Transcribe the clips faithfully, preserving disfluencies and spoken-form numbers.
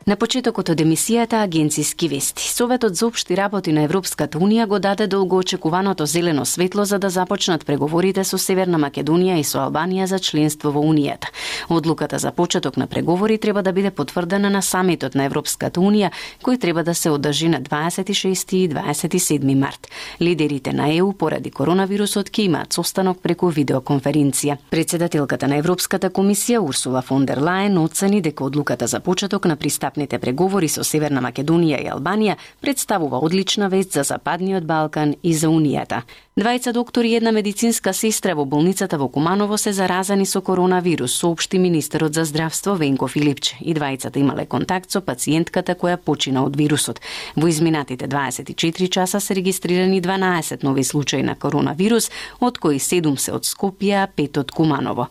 На почетокот од емисијата Агенциски вести, Советот за општи работи на Европската Унија го даде долгоочекуваното зелено светло за да започнат преговорите со Северна Македонија и со Албанија за членство во Унијата. Одлуката за почеток на преговори треба да биде потврдена на самитот на Европската Унија, кој треба да се одржи на дваесет и шести и дваесет и седми март. Лидерите на Е У поради коронавирусот ќе имаат состанок преку видеоконференција. Председателката на Европската комисија Урсула фон дер Лајен оцени дека одлуката за почеток на пристапните преговори со Северна Македонија и Албанија представува одлична вест за Западниот Балкан и за Унијата. Двајца доктори и една медицинска сестра во болницата во Куманово се заразени со коронавирус, соопшти министерот за здравство Венко Филипче. И двајцата имале контакт со пациентката која почина од вирусот. Во изминатите дваесет и четири часа се регистрирани дванаесет нови случаи на коронавирус, од кои седум се од Скопје, а пет од Куманово.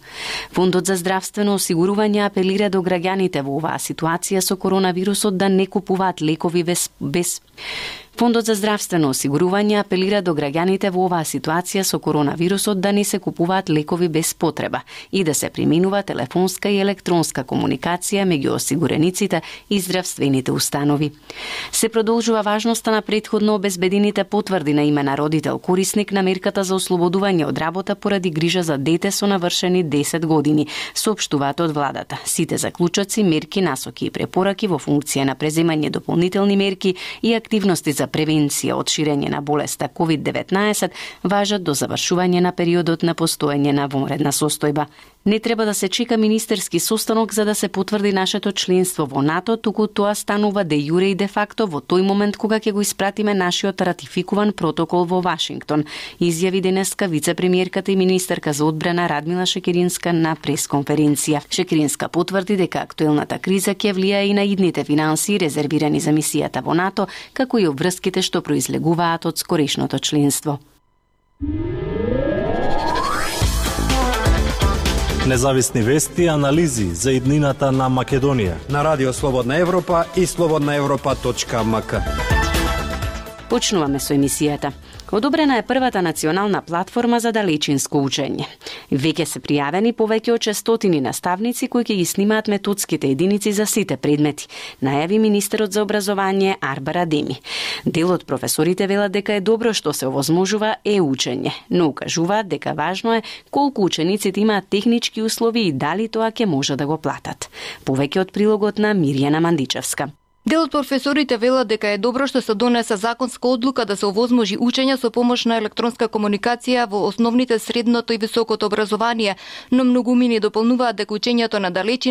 Фондот за здравствено осигурување апелира до граѓаните во оваа ситуација со коронавирусот да не купуваат лекови без, без Фондот за здравствено осигурување апелира до граѓаните во оваа ситуација со коронавирусот да не се купуваат лекови без потреба и да се применува телефонска и електронска комуникација меѓу осигурениците и здравствените установи. Се продолжува важноста на претходно обезбедените потврди на име на родител корисник на мерката за ослободување од работа поради грижа за дете со навршени десет години, соопштуваат од владата. Сите заклучоци, мерки, насоки и препораки во функција на преземање дополнителни мерки и активности за превенција од ширење на болеста ковид деветнаесет важат до завршување на периодот на постоење на вонредна состојба. Не треба да се чека министерски состанок за да се потврди нашето членство во НАТО, туку тоа станува де јуре и де факто во тој момент кога ќе го испратиме нашиот ратификуван протокол во Вашингтон, изјави денеска вице-премиерката и министерка за одбрана Радмила Шекеринска на пресконференција. Шекеринска потврди дека актуелната криза ќе влијае и на идните финансии резервирани за мисијата во НАТО, како и обврските што произлегуваат од скорешното членство. Независни вести и анализи за иднината на Македонија на Радио Слободна Европа и слободна европа точка ем ка. Почнуваме со емисијата. Одобрена е првата национална платформа за далечинско учење. Веќе се пријавени повеќе од шестстотини наставници кои ќе ги снимаат методските единици за сите предмети, најави министерот за образование Арбар Адеми. Дел од професорите велат дека е добро што се овозможува е-учење, но укажуваат дека важно е колку учениците имаат технички услови и дали тоа ќе може да го платат. Повеќе од прилогот на Мирјана Мандичевска. Дел од професорите велат дека е добро што се донесе законска одлука да се овозможи учење со помош на електронска комуникација во основните, средното и високото образование, но многумини дополнуваат дека учењето на далечина